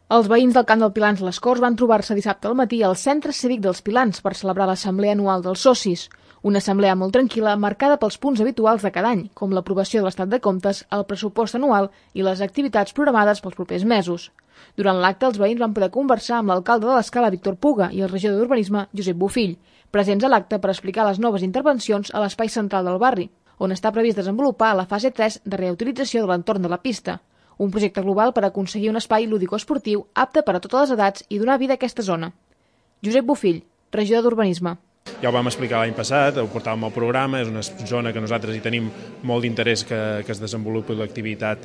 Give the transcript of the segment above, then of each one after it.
Els veïns del Camp del Pilans Les Corts van trobar-se dissabte al matí al Centre Cívic dels Pilans per celebrar l'assemblea anual dels socis. Una assemblea molt tranquil·la, marcada pels punts habituals de cada any, com l'aprovació de l'estat de comptes, el pressupost anual i les activitats programades pels propers mesos. Durant l'acte, els veïns van poder conversar amb l'alcalde de l'Escala, Víctor Puga, i el regidor d'Urbanisme, Josep Bofill, presents a l'acte per explicar les noves intervencions a l'espai central del barri, on està previst desenvolupar la fase 3 de reutilització de l'entorn de la pista, un projecte global per aconseguir un espai lúdico-esportiu apte per a totes les edats i donar vida a aquesta zona. Josep Bofill, regidor d'Urbanisme. Ja ho vam explicar l'any passat, ho portàvem al programa, és una zona que nosaltres hi tenim molt d'interès que es desenvolupi l'activitat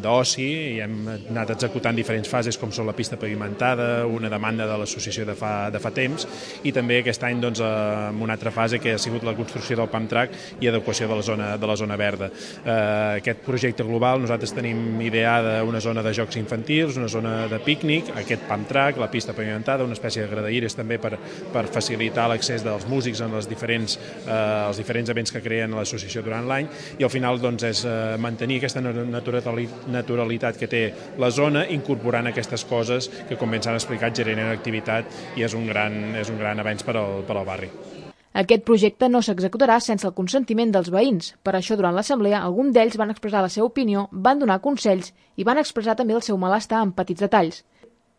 d'oci i hem anat executant diferents fases com són la pista pavimentada, una demanda de l'associació de fa temps i també aquest any amb una altra fase que ha sigut la construcció del pump track i adequació de la zona verda. Aquest projecte global nosaltres tenim ideada una zona de jocs infantils, una zona de pícnic, aquest pump track, la pista pavimentada, una espècie de gradaïres també per facilitar l'accés dels músics en els diferents events que creen l'associació durant l'any i al final és mantenir aquesta naturalitat que té la zona incorporant aquestes coses que com bé s'han explicat generen activitat i és un gran avenç per al barri. Aquest projecte no s'executarà sense el consentiment dels veïns. Per això, durant l'assemblea, alguns d'ells van expressar la seva opinió, van donar consells i van expressar també el seu malestar en petits detalls.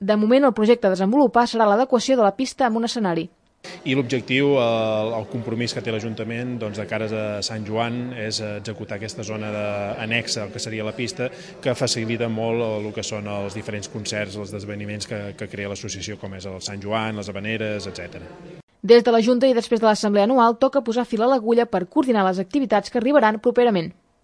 De moment, el projecte a desenvolupar serà l'adequació de la pista amb un escenari. I l'objectiu, el compromís que té l'Ajuntament de cara a Sant Joan és executar aquesta zona anexa al que seria la pista que facilita molt el que són els diferents concerts, els esdeveniments que crea l'associació com és el Sant Joan, les Havaneres, etc. Des de la Junta i després de l'Assemblea Anual toca posar fil a l'agulla per coordinar les activitats que arribaran properament.